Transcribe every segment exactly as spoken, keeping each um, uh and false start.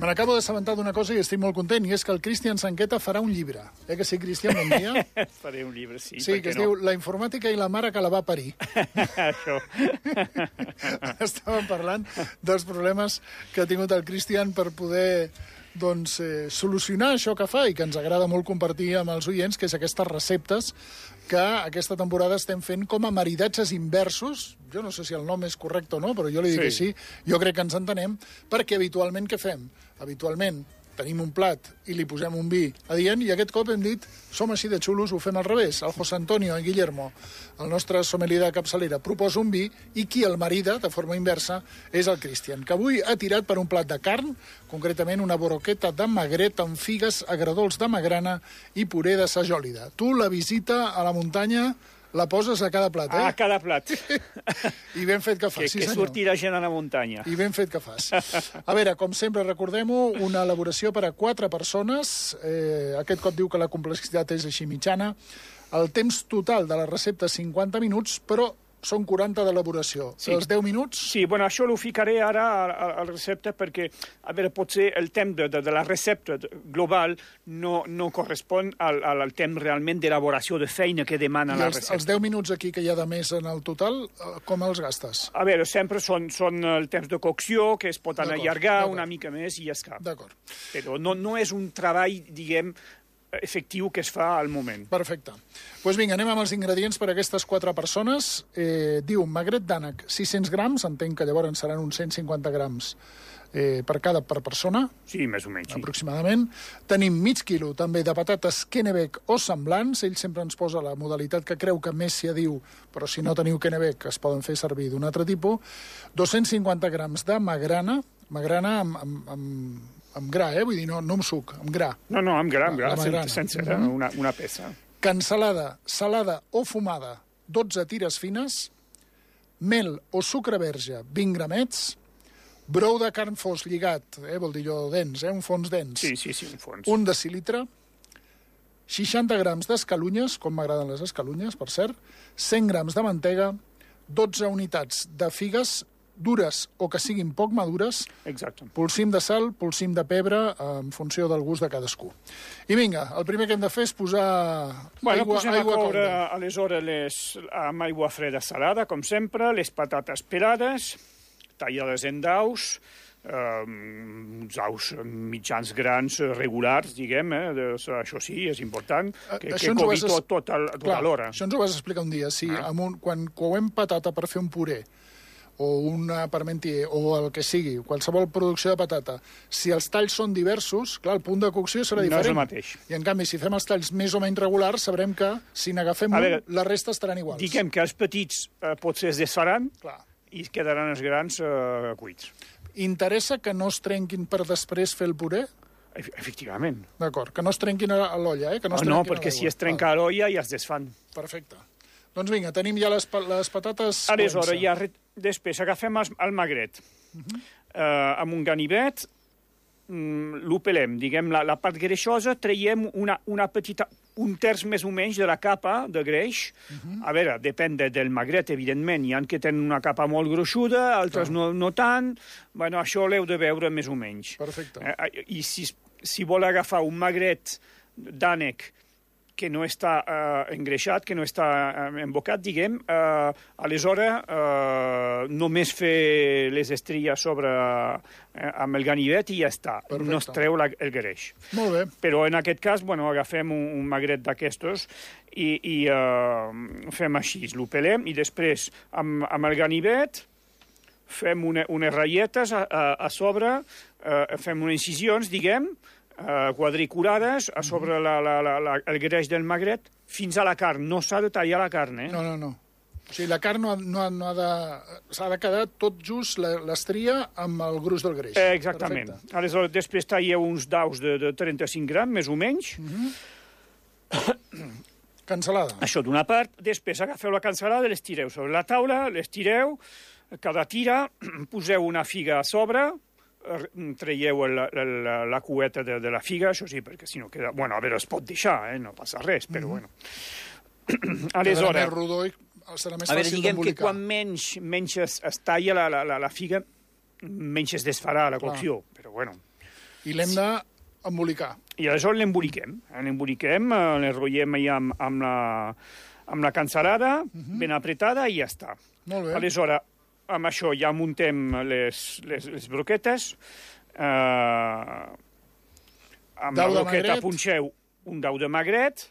Me n'acabo d'assabentar d'una cosa i estic molt content, i és que el Cristian Sanqueta farà un llibre. Eh que sí, Cristian? Bon dia. Faré un llibre, sí. Sí, que es no? diu La informàtica i la mare que la va parir. Això. Estàvem parlant dels problemes que ha tingut el Cristian per poder doncs, eh, solucionar això que fa i que ens agrada molt compartir amb els oients, que és aquestes receptes que aquesta temporada estem fent com a maridatges inversos. Jo no sé si el nom és correcte o no, però jo li dic sí. que sí. Jo crec que ens entenem, perquè habitualment què fem? Habitualment tenim un plat i li posem un vi adient, i aquest cop hem dit, som així de xulos, ho fem al revés. El José Antonio, el Guillermo, el nostre sommelier de capçalera, proposa un vi, i qui el marida, de forma inversa, és el Cristian, que avui ha tirat per un plat de carn, concretament una broqueta de magret amb figues, agradols de magrana i puré de sajòlida. Tu la visita a la muntanya la poses a cada plat, eh? A cada plat. I ben fet que fas, que, sí que senyor. Que surti la gent a la muntanya. I ben fet que fas. A veure, com sempre, recordem-ho, una elaboració per a quatre persones. Eh, aquest cop diu que la complexitat és així mitjana. El temps total de la recepta és cinquanta minuts, però són quaranta d'elaboració. Sí. Els deu minuts... Sí, bueno, això ho ficaré ara a, a, a la recepta perquè, a veure, potser el temps de, de, de la recepta global no, no correspon al, al temps realment d'elaboració de feina que demana I la els, recepta. els deu minuts aquí que hi ha de més en el total, com els gastes? A veure, sempre són, són el temps de cocció, que es pot anar allargar una mica més i ja està. D'acord. Però no, no és un treball, diguem, efectiu que es fa al moment. Perfecte. Doncs pues vinga, anem amb els ingredients per a aquestes quatre persones. Eh, diu, magret d'ànec, sis-cents grams, entenc que llavors seran uns cent cinquanta grams eh, per cada per persona. Sí, més o menys. Sí. Aproximadament. Tenim mig quilo també de patates Kennebec o semblants. Ell sempre ens posa la modalitat que creu que més s'hi diu, però si no teniu Kennebec es poden fer servir d'un altre tipus. dos-cents cinquanta grams de magrana, magrana amb... amb, amb amb gra, eh? Vull dir, no, no amb suc, amb gra. No, no, amb gra, amb gra, sencera, sencera, mm-hmm. una, una peça. Cansalada, salada o fumada, dotze tires fines, mel o sucre verge, vint gramets, brou de carn fos lligat, eh? Vol dir jo dens, eh? Un fons dens. Sí, sí, sí, un fons. Un decilitre, seixanta grams d'escalunyes, com m'agraden les escalunyes, per cert, cent grams de mantega, dotze unitats de figues, dures o que siguin poc madures, exacte. Polsim de sal, polsim de pebre, en funció del gust de cadascú. I vinga, el primer que hem de fer és posar bueno, aigua, posem aigua a coure, calda. aleshores, les, amb aigua freda salada, com sempre, les patates pelades, tallades en daus, eh, uns daus mitjans grans, regulars, diguem, eh, de, això sí, és important, que, que cogui tot, tot, el, tot Clar, l'hora. Això ens ho vas explicar un dia. Si ah. amb un, quan coem patata per fer un puré, o una parmentier, o el que sigui, qualsevol producció de patata, si els talls són diversos, clar, el punt de cocció serà diferent. No és el mateix. I, en canvi, si fem els talls més o menys regulars, sabrem que, si n'agafem un, veure, la resta estaran iguals. Diguem que els petits eh, potser es desfaran clar. I quedaran els grans eh, cuits. Interessa que no es trenquin per després fer el puré? Efectivament. D'acord, que no es trenquin a l'olla, eh? Que no, es oh, no, perquè si es trenca a l'olla ja es desfan. Perfecte. Doncs vinga, tenim ja les, les patates... Aleshores, ja després agafem el, el magret. Uh-huh. uh, amb un ganivet, um, l'opelem, diguem, la, la part greixosa, traiem una, una petita, un terç més o menys de la capa de greix. Uh-huh. A veure, depèn de, del magret, evidentment. Hi ha que tenen una capa molt gruixuda, altres no, no tant. Bueno, això l'heu de veure més o menys. Perfecte. Uh, I si, si vol agafar un magret d'ànec que no està eh, engreixat, que no està eh, embocat, diguem, eh, aleshores eh, només fer les estries sobre, eh, amb el ganivet i ja està. Perfecte. No es treu la, el greix. Molt bé. Però en aquest cas, bueno, agafem un, un magret d'aquestos i, i eh, fem així, l'opelem i després amb, amb el ganivet fem una, unes ratlletes a, a, a sobre, eh, fem unes incisions, diguem, Uh, quadriculades a sobre la, la, la, la, el greix del magret fins a la carn. No s'ha de tallar la carn, eh? No, no, no. O sigui, la carn no, no, no ha de... S'ha de quedar tot just l'estria amb el gruix del greix. Eh, exactament. Perfecte. Aleshores, després talleu uns daus de, de trenta-cinc grams, més o menys. Uh-huh. Cansalada. Això d'una part. Després agafeu la cansalada, les tireu sobre la taula, les tireu, cada tira, poseu una figa a sobre, traieu la, la, la cueta de, de la figa, això sí, perquè si no queda... Bueno, a veure, es pot deixar, eh? No passa res, però mm-hmm. bueno. Aleshores... Quedarà més rodó i serà més a veure, fàcil diguem que d'embolicar. quan menys, menys es, es talla la, la, la, la figa, menys es desfarà la cocció, clar. Però bueno. I l'hem d'embolicar. I aleshores l'emboliquem. L'emboliquem, eh, l'enrotllem allà amb, amb, la, amb la cansalada, uh -huh. ben apretada, i ja està. Molt bé. Aleshores, amb això ja muntem les, les, les broquetes. Eh, amb Dau la broqueta magret. punxeu un dau de magret,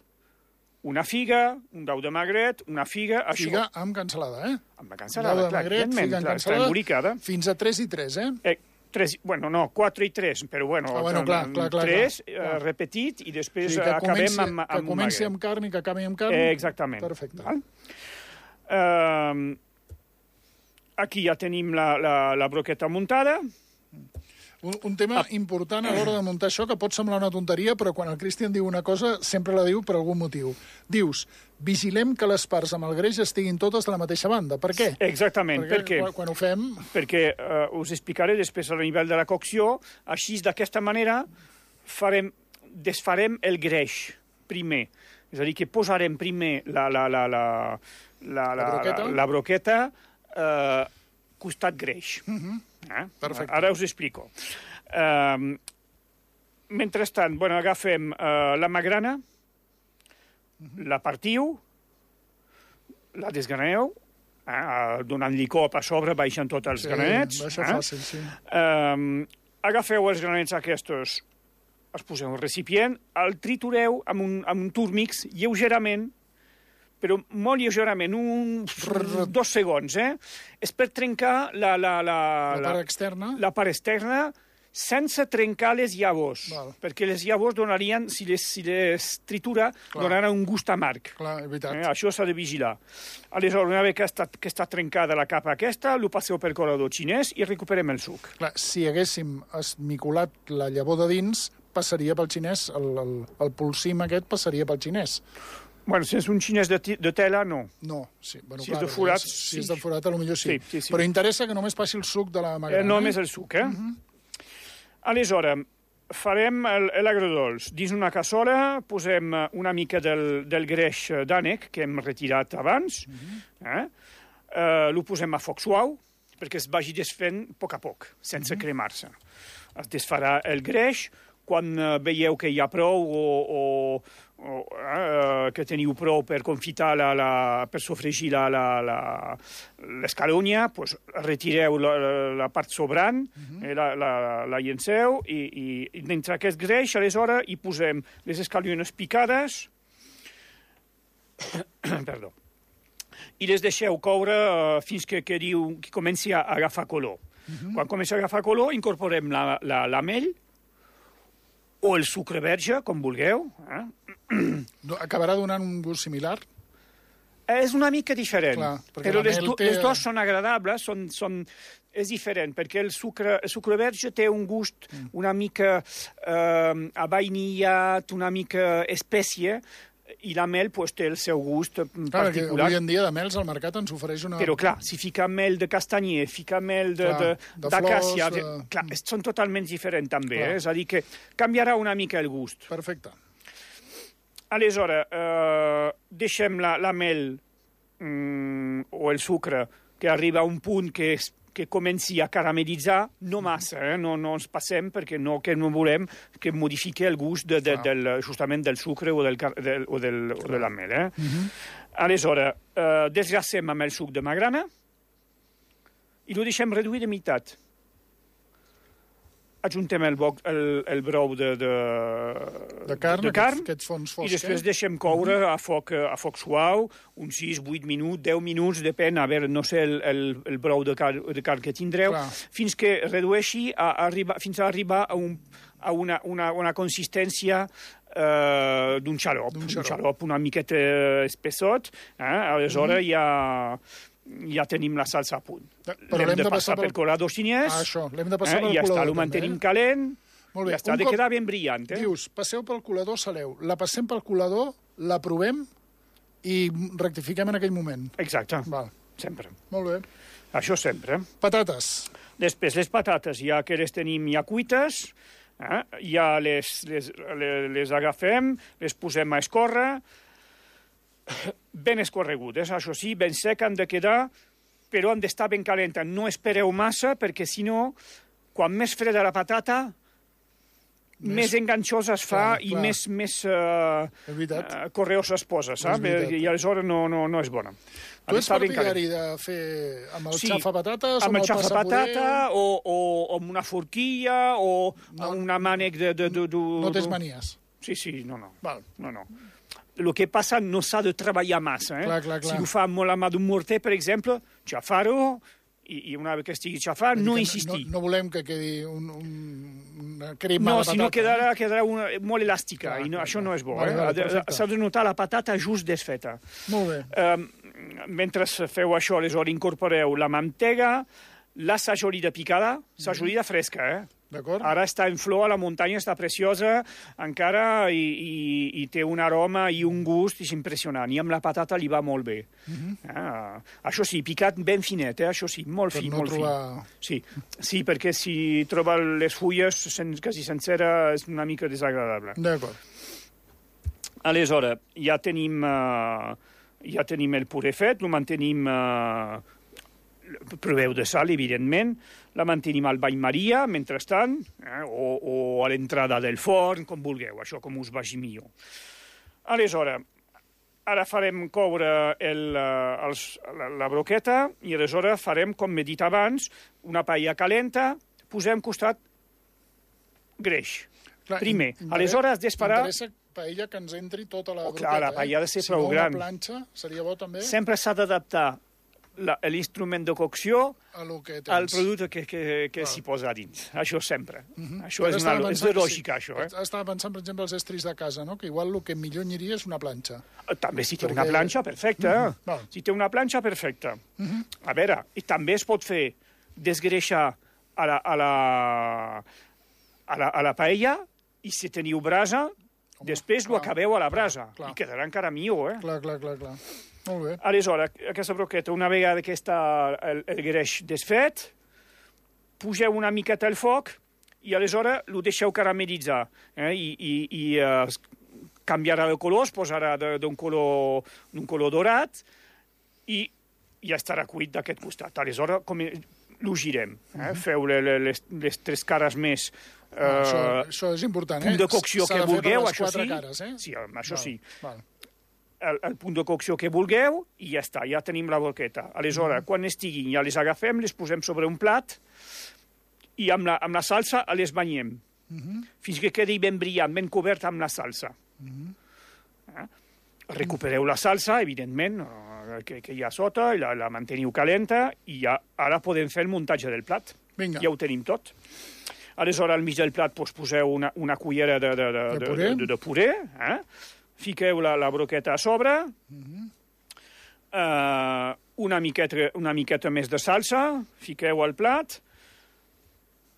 una figa, un dau de magret, una figa... Figa això, amb cansalada, eh? amb la cansalada, Dau de clar, magret, evidentment, figa amb clar, està cansalada, embolicada. fins a tres i tres, eh? Eh, tres, bueno, no, quatre i tres, però bueno, Ah, bueno, clar, clar, clar, tres, clar. eh, repetit, i després Sí, que acabem comenci, amb, amb que un comenci magret. amb carn i que acabi amb carn. Eh, exactament. Perfecte. Val? Eh, aquí ja tenim la, la, la broqueta muntada. Un, un tema important a l'hora de muntar això, que pot semblar una tonteria, però quan el Cristian diu una cosa, sempre la diu per algun motiu. Dius, vigilem que les parts amb el greix estiguin totes de la mateixa banda. Per què? Exactament. Perquè Per què? quan, quan ho fem... Perquè eh, us explicaré després al nivell de la cocció. Així, d'aquesta manera, farem, desfarem el greix primer. És a dir, que posarem primer la, la, la, la, la, la, broqueta, la, la broqueta eh, costat greix. Uh -huh. Eh? Perfecte. Ara us explico. Uh, mentrestant, bueno, agafem uh, la magrana, uh-huh. la partiu, la desgraneu, eh, donant-li cop a sobre, baixant tots els Sí, granets. baixa eh? fàcil, sí. Uh, agafeu els granets aquests, els poseu al recipient, el tritureu amb un, amb un túrmix lleugerament, però molt lleugerament, un, dos segons, eh? És per trencar la, la, la, La part externa. La part externa sense trencar les llavors, Val. perquè les llavors donarien, si les, si les tritura, Clar. donaran un gust amarg. Clar, és veritat. Eh? Això s'ha de vigilar. Aleshores, una vegada que està, que està trencada la capa aquesta, ho passeu per colador xinès i recuperem el suc. Clar, si haguéssim esmicolat la llavor de dins, passaria pel xinès, el, el, el polsim aquest passaria pel xinès. Bueno, si és un xinès de, de tela, no. No, sí. Bueno, Si clar, és de forat, si sí. és de forat, potser sí. Sí, sí, sí. Però interessa que només passi el suc de la magrana. Eh, només el suc, eh? Uh -huh. Aleshores, farem l'agrodolç. Dins una cassola posem una mica del, del greix d'ànec que hem retirat abans. Uh -huh. eh? Uh, lo posem a foc suau perquè es vagi desfent a poc a poc, sense uh -huh. cremar-se. Es desfarà el greix. Quan uh, veieu que hi ha prou o, o, o uh, que teniu prou per confitar, la, la, per sofregir l'escalonia, pues, retireu la, la part sobrant, uh-huh. eh, la, la, la llenceu i, i, i dintre aquest greix, aleshores, hi posem les escaliones picades, perdó, i les deixeu coure uh, fins que, que, diu, que comenci a agafar color. Uh-huh. Quan comença a agafar color, incorporem la, la, la mel, o el sucre verge, com vulgueu. Eh? Acabarà donant un gust similar? És una mica diferent, Clar, però les, do, té... les dues són agradables, són, són, és diferent, perquè el sucre, el sucre verge té un gust mm. una mica eh, avainillat, una mica espècie, i la mel pues, té el seu gust clar, particular. Avui en dia de mels al mercat ens ofereix una... Però clar, si fica mel de castanyer, fica mel d'acàcia... De, de, de, clar, són totalment diferents també, eh? És a dir, que canviarà una mica el gust. Perfecte. Aleshores, eh, deixem la, la mel mm, o el sucre que arriba a un punt que és que comenci a caramellitzar, no massa, eh? no, no ens passem perquè no, que no volem que modifiqui el gust de, de, del, justament del sucre o, del, del, o, del, o de la mel. Eh? Uh -huh. Aleshores, eh, desgracem amb el suc de magrana i ho deixem reduir de meitat. Ajuntem el, boc, el, el brou de, de, de carn, de carn aquests fons foscs, i després deixem coure a foc, a foc suau, uns sis, vuit minuts, deu minuts, depèn, a veure, no sé, el, el, el brou de, car, de carn que tindreu, Clar. fins que redueixi, a, a arribar, fins a arribar a, un, a una, una, una consistència uh, d'un xarop, un xarop, xarop una miqueta espessot, eh? Aleshores mm. ja... ja tenim la salsa a punt. L'hem de, de passar pel, pel colador xinès. Ah, això, l'hem de passar eh? pel I ja colador. està, ho mantenim eh? calent. Molt bé. Ja està, ha de cop... quedar ben brillant. Eh? Dius, passeu pel colador, saleu. La passem pel colador, la provem i rectifiquem en aquell moment. Exacte. Val. Sempre. Molt bé. Això sempre. Patates. Després, les patates, ja que les tenim ja cuites, eh? ja les, les, les, les agafem, les posem a escórrer, ben escorregudes, això sí, ben sec han de quedar, però han d'estar ben calentes. No espereu massa, perquè si no, quan més freda la patata, més, més enganxosa es fa clar, i clar. més, més uh, uh, correosa es posa, saps? I aleshores no, no, no és bona. Tu ets partidari de fer amb el sí, xafapatates amb o amb el xafapatata o, o, o amb una forquilla o no, amb una mànec de... de, de, de no tens manies? Sí, sí, no, no. Val. no, no. El que passa no s'ha de treballar massa. Eh? Clar, clar, clar. Si ho fa molt a mà d'un morter, per exemple, xafar-ho, i, i una vegada que estigui xafat, no insistir. No, no volem que quedi un, un, una crema no, de patata. No, si no quedarà, quedarà una, molt elàstica, clar, i no, clar, això clar. no és bo. Vale, eh? vale, S'ha de notar la patata just desfeta. Molt bé. Um, mentre feu això, aleshores incorporeu la mantega, la sajolida picada, sajolida fresca, eh? D'acord. Ara està en flor, a la muntanya està preciosa encara i, i, i té un aroma i un gust és impressionant. I amb la patata li va molt bé. Uh -huh. ah, això sí, picat ben finet, eh? Això sí, molt per fi, no molt trobar... fi. Sí. sí, perquè si troba les fulles sen, quasi sencera és una mica desagradable. D'acord. Aleshores, ja tenim, uh, ja tenim el puré fet, el mantenim... Uh, proveu de sal, evidentment, la mantenim al bany Maria, mentrestant, eh, o, o a l'entrada del forn, com vulgueu, això com us vagi millor. Aleshores, ara farem coure el, els, la, la broqueta i aleshores farem, com he dit abans, una paella calenta, posem costat greix. Clar, primer. Aleshores, has d'esperar... M'interessa paella que ens entri tota la oh, broqueta. Clar, la paella ha de ser si prou no, gran. Si una planxa seria bo també. Sempre s'ha d'adaptar l'instrument de cocció al producte que, que, que s'hi posa dins. Això sempre. Uh -huh. Això és, una, és de lògica, sí. això. Eh? Estava pensant, per exemple, els estris de casa, no? Que igual el que millor aniria és una planxa. També si té Perquè... una planxa, perfecta. Uh -huh. Si té una planxa, perfecta. Uh -huh. A veure, i també es pot fer desgreixar a la, a la, a la, a la paella i si teniu brasa, Home, després clar, ho acabeu a la brasa. Clar, clar. I quedarà encara millor, eh? Clar, clar, clar, clar. Molt bé. Aleshores, aquesta broqueta, una vegada que està el, el greix desfet, pugeu una miqueta al foc i aleshores ho deixeu caramelitzar. Eh? I i, i uh, canviarà de color, es posarà d'un color, color dorat i ja estarà cuit d'aquest costat. Aleshores, com ho girem. Eh? Uh -huh. Feu les, les tres cares més... Uh, ah, això, això és important, eh? Punt de cocció que vulgueu, això sí. Cares, eh? Sí, això val, sí. Val. El, el punt de cocció que vulgueu i ja està, ja tenim la broqueta. Aleshores, uh -huh. quan estiguin, ja les agafem, les posem sobre un plat i amb la, amb la salsa les banyem. Uh -huh. Fins que quedi ben brillant, ben cobert amb la salsa. Uh -huh. eh? Recupereu la salsa, evidentment, que, que hi ha sota, la, la manteniu calenta i ja ara podem fer el muntatge del plat. Vinga. Ja ho tenim tot. Aleshores, al mig del plat doncs, poseu una, una cullera de, de, de, de puré, de, de, de puré eh? Fiqueu la, la broqueta a sobre, uh-huh. uh, una, miqueta, una miqueta més de salsa, fiqueu al plat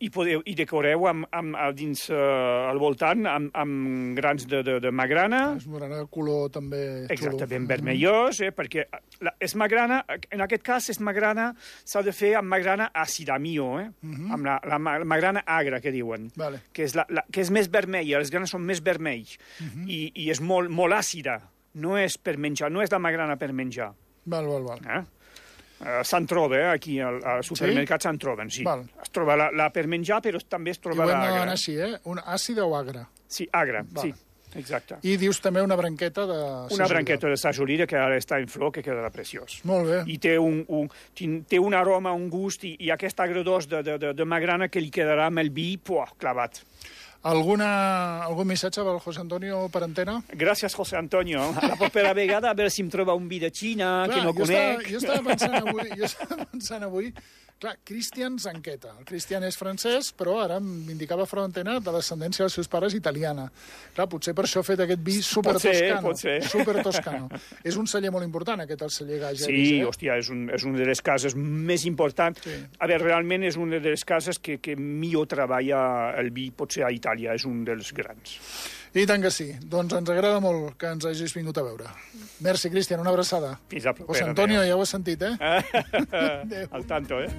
i, podeu, i decoreu amb, amb, dins uh, al voltant amb, amb grans de, de, de magrana. Es veurà el color també xulo. Exacte, ben vermellós, eh, perquè la, és magrana, en aquest cas és magrana, s'ha de fer amb magrana àcida, millor, eh? Uh-huh. Amb la, la, la magrana agra, que diuen, vale. que, és la, la, que és més vermella, els grans són més vermells, uh-huh. i, i és molt, molt àcida, no és per menjar, no és la magrana per menjar. Val, val, val. Eh? Uh, se'n troba, eh? Aquí al, al supermercat sí? se'n troben, sí. Val. Es troba la, la per menjar, però també es troba l'agra. I ho hem d'anar així, eh? Una àcida o agra? Sí, agra, val. Sí, exacte. I dius també una branqueta de sajolida. Una branqueta de sajolida que ara està en flor, que quedarà preciós. Molt bé. I té un, un, té un aroma, un gust, i, i aquest agredós de, de, de, de magrana que li quedarà amb el vi, puah, clavat. Alguna, algun missatge pel José Antonio per antena? Gràcies, José Antonio. A la propera vegada, a veure si em troba un vi de Xina, clar, que no jo conec. Estava, jo estava pensant avui, jo estava pensant avui clar, Cristian Zanqueta. El Cristian és francès, però ara m'indicava fora d'antena de descendència dels seus pares italiana. Clar, potser per això ha fet aquest vi super toscano. Pot ser, super toscano. És un celler molt important, aquest, el celler Gageris. Sí, eh? hòstia, és, un, és una de les cases més importants. Sí. A veure, realment és una de les cases que, que millor treballa el vi, potser a Itàlia, és un dels grans. I tant que sí. Doncs ens agrada molt que ens hagis vingut a veure. Merci, Cristian, una abraçada. Fins a propera. José Antonio, ja ho has sentit, eh? Al tanto, eh?